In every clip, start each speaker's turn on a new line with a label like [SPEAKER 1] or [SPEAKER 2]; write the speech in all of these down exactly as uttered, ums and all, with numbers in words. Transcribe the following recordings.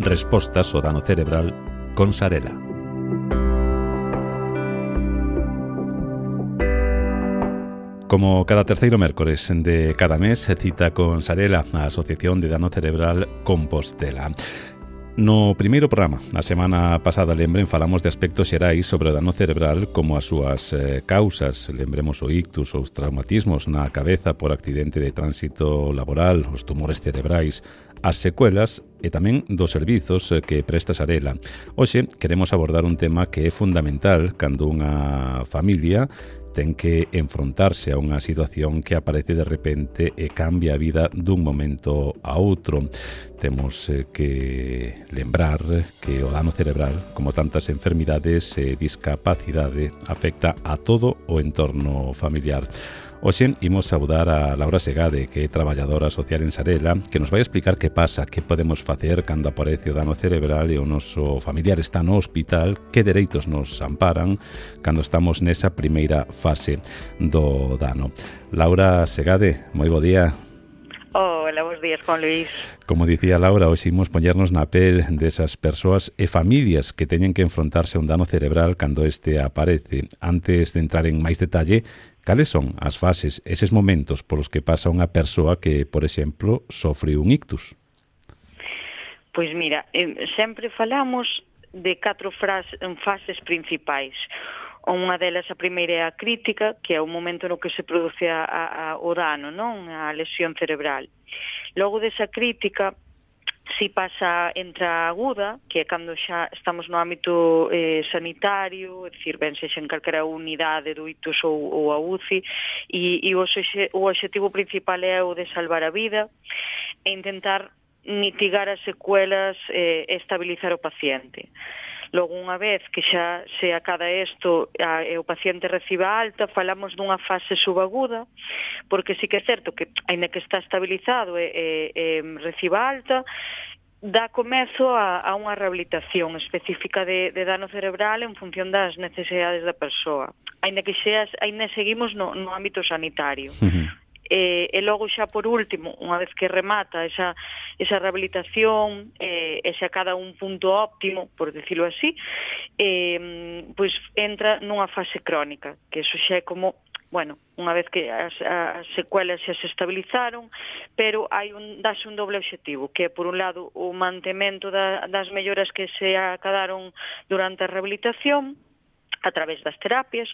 [SPEAKER 1] Respostas ao dano cerebral con Sarela. Como cada terceiro mércores de cada mes, se cita con Sarela, a Asociación de Dano Cerebral Compostela. No primeiro programa, a semana pasada, lembren, falamos de aspectos xerais sobre o dano cerebral como as súas eh, causas. Lembremos o ictus, os traumatismos na cabeza por accidente de tránsito laboral, os tumores cerebrais, as secuelas e tamén dos servizos que presta Sarela. Hoxe queremos abordar un tema que é fundamental cando unha familia ten que enfrontarse a unha situación que aparece de repente e cambia a vida dun momento a outro. Temos eh, que lembrar que o dano cerebral, como tantas enfermidades e discapacidade, afecta a todo o entorno familiar. Hoxe imos saudar a Laura Segade, que é traballadora social en Sarela, que nos vai explicar que pasa, que podemos facer cando aparece o dano cerebral e o noso familiar está no hospital, que dereitos nos amparan cando estamos nesa primeira fase do dano. Laura Segade, moi bo día.
[SPEAKER 2] Hola, bons días, Juan Luis.
[SPEAKER 1] Como dicía Laura, hoxe imos poñernos na pel desas persoas e familias que teñen que enfrontarse a un dano cerebral cando este aparece. Antes de entrar en máis detalle, cales son as fases, eses momentos polos que pasa unha persoa que, por exemplo, sofre un ictus?
[SPEAKER 2] Pois mira, eh, sempre falamos de catro fras, fases principais. Unha delas, a primeira, é a crítica, que é o momento no que se produce a, a, o dano, non? A lesión cerebral. Logo desa crítica, si pasa entre a aguda, que é cando xa estamos no ámbito eh, sanitario, é dicir, ben sexa en calquera unidade do ictus ou, ou a U C I, e, e o, xe, o objetivo principal é o de salvar a vida e intentar mitigar as secuelas e estabilizar o paciente. Logo, unha vez que xa se acada isto e o paciente reciba alta, falamos dunha fase subaguda, porque sí que é certo que, aínda que está estabilizado e, e, e reciba alta, dá comezo a, a unha rehabilitación específica de, de dano cerebral en función das necesidades da persoa. Aínda que xa, aínda seguimos no, no ámbito sanitario. Uh-huh. E, e logo xa por último, unha vez que remata esa, esa rehabilitación e, e xa cada un punto óptimo, por decirlo así, e, pois entra nunha fase crónica, que eso xa é como, bueno, unha vez que as, as secuelas xa se estabilizaron, pero hai un, dase un doble objetivo, que é, por un lado, o mantemento da, das melloras que se acadaron durante a rehabilitación, a través das terapias,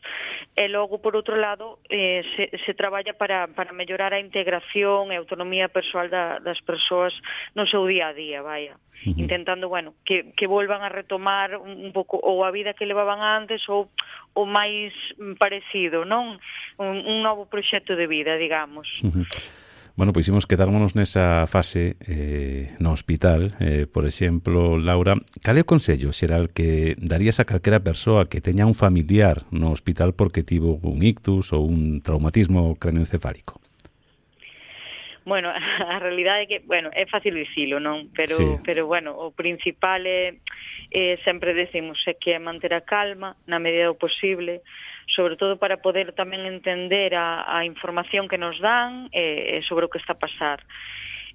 [SPEAKER 2] e logo, por outro lado, eh, se, se traballa para, para mellorar a integración e a autonomía persoal da, das persoas no seu día a día, vaya. Uh-huh. Intentando, bueno, que, que volvan a retomar un, un pouco ou a vida que levaban antes ou o máis parecido, non? Un, un novo proxecto de vida, digamos.
[SPEAKER 1] Uh-huh. Bueno, pois imos quedármonos nesa fase eh, no hospital. Eh, por exemplo, Laura, cal é o consello xeral que darías a calquera persoa que teña un familiar no hospital porque tivo un ictus ou un traumatismo craneoencefálico?
[SPEAKER 2] Bueno, a realidade é que, bueno, é fácil dicilo, non? Pero, sí. pero bueno, o principal é, é sempre decimos, é que é manter a calma na medida do posible, sobre todo para poder tamén entender a, a información que nos dan e, sobre o que está a pasar.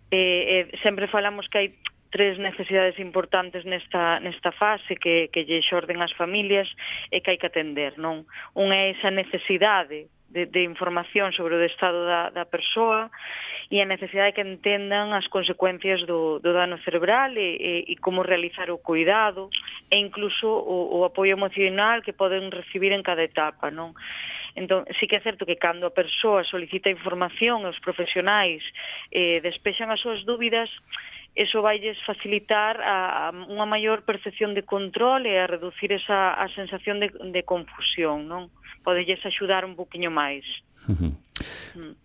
[SPEAKER 2] E, e, sempre falamos que hai tres necesidades importantes nesta, nesta fase que, que lle xorden as familias e que hai que atender, non? Unha é esa necesidade De, de información sobre o estado da, da persoa e a necesidade de que entendan as consecuencias do, do dano cerebral e, e, e como realizar o cuidado e incluso o, o apoio emocional que poden recibir en cada etapa, non? Entón, sí que é certo que cando a persoa solicita información e os profesionais eh, despexan as súas dúbidas, eso vailles facilitar a, a unha maior percepción de control e a reducir esa a sensación de, de confusión, non? Podelles axudar un poquinho máis.
[SPEAKER 1] Uh-huh.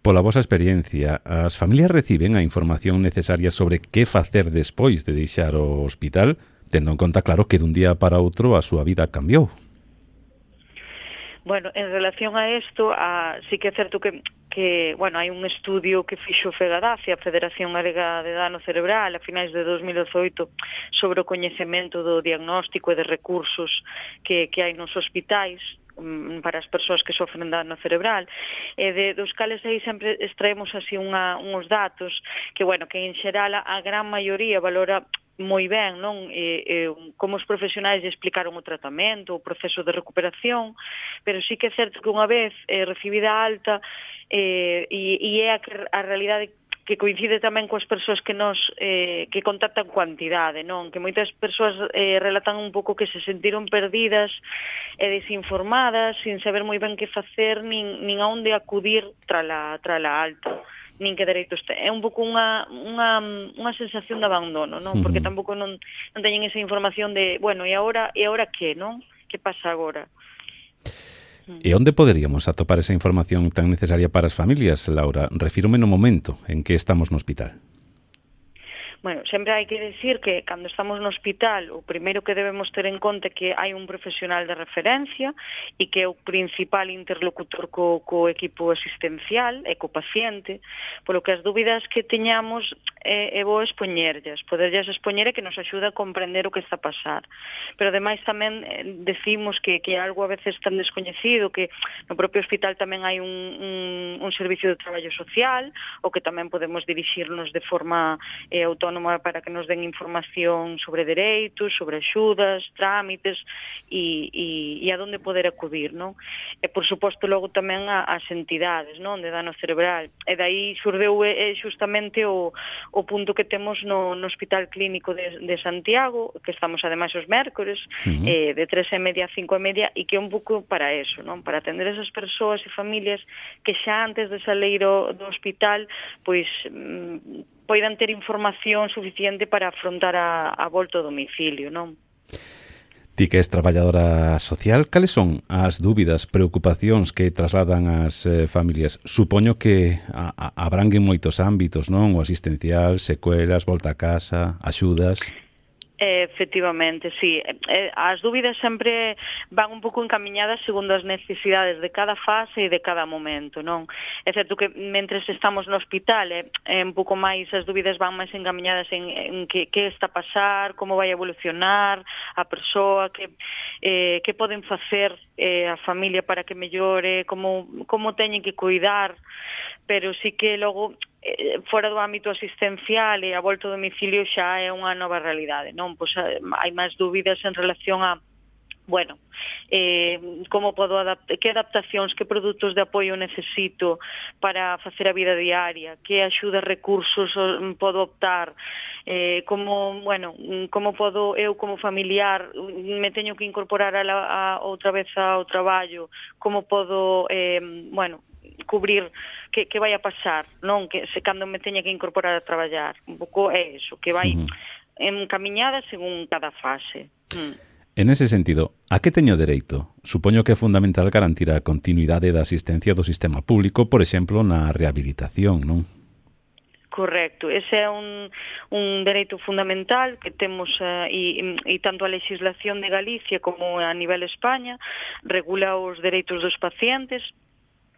[SPEAKER 1] Pola vosa experiencia, as familias reciben a información necesaria sobre que facer despois de deixar o hospital, tendo en conta, claro, que dun día para outro a súa vida cambiou?
[SPEAKER 2] Bueno, en relación a isto, a, sí que é certo que, que bueno, hai un estudio que fixo FEGADACE, a Federación Galega de Dano Cerebral, a finais de dos mil dezoito, sobre o coñecemento do diagnóstico e de recursos que, que hai nos hospitais para as persoas que sofren dano cerebral, e de, dos cales aí sempre extraemos así unha, uns datos que, bueno, que en xeral a gran maioría valora moi ben, non? E, e, como os profesionais explicaron o tratamento, o proceso de recuperación, pero sí que é certo que unha vez eh, recibida a alta, eh, e, e é a, que, a realidade que coincide tamén coas persoas que nos eh, que contactan coa entidade, non? Que moitas persoas eh, relatan un pouco que se sentiron perdidas e desinformadas, sin saber moi ben que facer, nin, nin a onde acudir trala, trala alta, nin que dereitos ten. É un pouco unha, unha, unha sensación de abandono, non? Porque tampouco non, non teñen esa información de, bueno, e agora, e agora que, non? Que pasa agora?
[SPEAKER 1] E onde poderíamos atopar esa información tan necesaria para as familias, Laura? Refírome no momento en que estamos no hospital.
[SPEAKER 2] Bueno, sempre hai que decir que cando estamos no hospital o primeiro que debemos ter en conta é que hai un profesional de referencia e que é o principal interlocutor co, co equipo asistencial e co paciente, polo que as dúbidas que teñamos é, é bo expoñerllas, poderllas expoñer e que nos axuda a comprender o que está a pasar. Pero ademais tamén decimos que, que é algo a veces tan descoñecido, que no propio hospital tamén hai un, un, un servicio de traballo social, o que tamén podemos dirixirnos de forma eh, autónoma para que nos den información sobre dereitos, sobre axudas, trámites e, e, e a donde poder acudir, non? E, por suposto, logo tamén as entidades, non? De dano cerebral. E daí xurdeu eh, justamente o, o punto que temos no, no Hospital Clínico de, de Santiago, que estamos ademais os mércores, uh-huh. eh, de tres e media a cinco e media, e que é un pouco para eso, non? Para atender esas persoas e familias que xa antes de salir do hospital, pois mm, poidan ter información suficiente para afrontar a, a volta ao domicilio, non?
[SPEAKER 1] Ti que és traballadora social, cales son as dúbidas, preocupacións que trasladan as eh, familias? Supoño que a, a, abranguen moitos ámbitos, non? O asistencial, secuelas, volta a casa, axudas...
[SPEAKER 2] Efectivamente, sí. As dúbidas sempre van un pouco encamiñadas segundo as necesidades de cada fase e de cada momento, non? É certo que mentres estamos no hospital é, é un pouco máis, as dúbidas van máis encamiñadas en, en que, que está a pasar, como vai a evolucionar a persoa, que, eh, que poden facer eh, a familia para que mellore, como, como teñen que cuidar, pero sí que logo fora do ámbito asistencial e a volta ao domicilio xa é unha nova realidade, non? Pois hai máis dúbidas en relación a, bueno, eh, como podo adaptar, que adaptacións, que produtos de apoio necesito para facer a vida diaria, que axuda, recursos podo optar, eh, como, bueno, como podo eu como familiar me teño que incorporar a, la, a outra vez ao traballo, como podo, eh, bueno, cubrir que, que vai a pasar, non? Que se cando me teña que incorporar a traballar. Un pouco é eso, que vai uh-huh. encamiñada según cada fase. Mm.
[SPEAKER 1] En ese sentido, a que teño dereito? Supoño que é fundamental garantir a continuidade da asistencia do sistema público, por exemplo, na rehabilitación, non?
[SPEAKER 2] Correcto, ese é un, un dereito fundamental que temos uh, e, e tanto a legislación de Galicia como a nivel España regula os dereitos dos pacientes.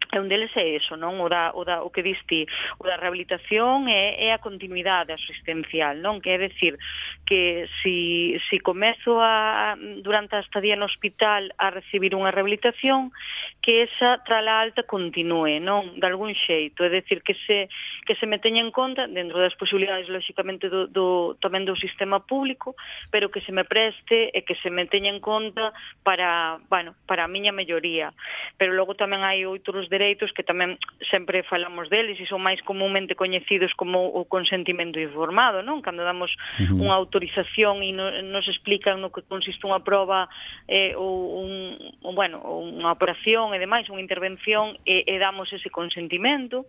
[SPEAKER 2] E un deles é eso, non? O, da, o, da, o que diste, o da rehabilitación é, é a continuidade asistencial, non? Que é decir, que si, si comezo a, durante a estadía no hospital a recibir unha rehabilitación, que esa trala alta continúe, non? De algún xeito, é decir, que se, que se me teña en conta, dentro das posibilidades, lóxicamente, do, do, tamén do sistema público, pero que se me preste e que se me teña en conta para, bueno, para a miña melloría. Pero logo tamén hai outros dereitos que tamén sempre falamos deles e son máis comúnmente coñecidos como o consentimento informado, non? Cando damos uh-huh. unha autorización e no, nos explican no que consiste unha proba eh, ou un, ou, bueno, unha operación e demais, unha intervención e, e damos ese consentimento.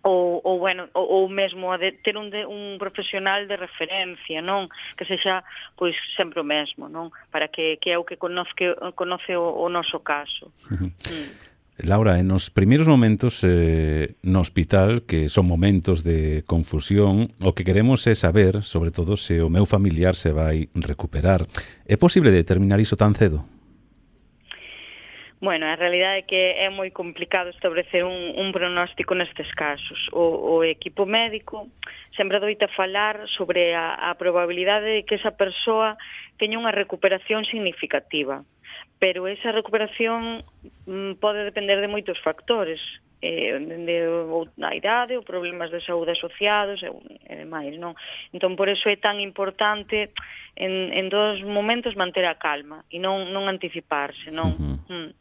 [SPEAKER 2] Ou, ou, bueno, ou, ou mesmo a de ter un, de, un profesional de referencia, non? Que sexa, pois, sempre o mesmo, non? Para que, que é o que conoce, conoce o, o noso caso. Uh-huh. Mm.
[SPEAKER 1] Laura, en os primeiros momentos eh, no hospital, que son momentos de confusión, o que queremos é saber, sobre todo, se o meu familiar se vai recuperar. É posible determinar iso tan cedo?
[SPEAKER 2] Bueno, a realidade é que é moi complicado establecer un, un pronóstico nestes casos. O, o equipo médico sempre doita falar sobre a, a probabilidade de que esa persoa teña unha recuperación significativa. Pero esa recuperación mm, pode depender de moitos factores. eh, de, a idade ou problemas de saúde asociados e, e demais, non? Entón, por eso é tan importante en, en dos momentos manter a calma e non, non anticiparse, non? Uh-huh. Mm.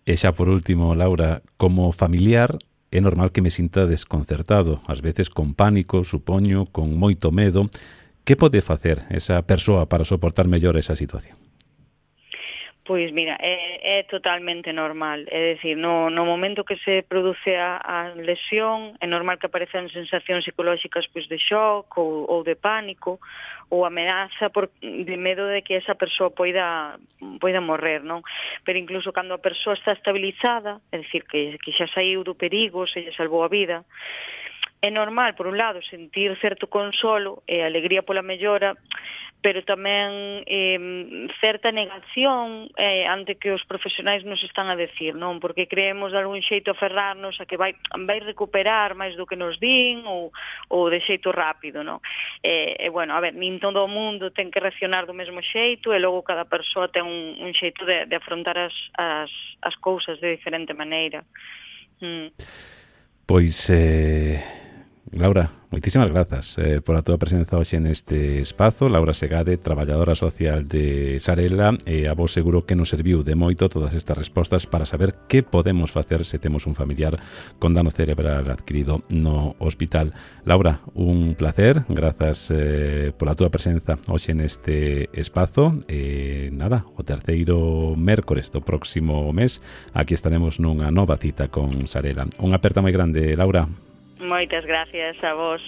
[SPEAKER 1] E xa por último, Laura, como familiar é normal que me sinta desconcertado, ás veces con pánico, supoño, con moito medo. Que pode facer esa persoa para soportar mellor esa situación?
[SPEAKER 2] Pois mira, é, é totalmente normal, é dicir, no, no momento que se produce a, a lesión, é normal que aparezan sensacións psicolóxicas pois, de shock ou, ou de pánico, ou ameaza por, de medo de que esa persoa poida, poida morrer, non? Pero incluso cando a persoa está estabilizada, é dicir, que, que xa saiu do perigo, se lle salvou a vida, é normal, por un lado, sentir certo consolo e alegría pola mellora, pero tamén eh, certa negación eh, ante que os profesionais nos están a decir, non? Porque creemos de algún xeito aferrarnos a que vai, vai recuperar máis do que nos din ou, ou de xeito rápido, non? E, e, bueno, a ver, nin todo o mundo ten que reaccionar do mesmo xeito e logo cada persoa ten un, un xeito de, de afrontar as, as, as cousas de diferente maneira. Mm.
[SPEAKER 1] Pois... Eh... Laura, moitísimas grazas eh, por a túa presenza hoxe neste espazo. Laura Segade, traballadora social de Sarela, e a vos seguro que nos serviu de moito todas estas respostas para saber que podemos facer se temos un familiar con dano cerebral adquirido no hospital. Laura, un placer, grazas eh, pola túa presenza hoxe neste espazo. E nada, o terceiro mércores do próximo mes aquí estaremos nunha nova cita con Sarela. Unha aperta moi grande, Laura.
[SPEAKER 2] Moitas gracias a vos.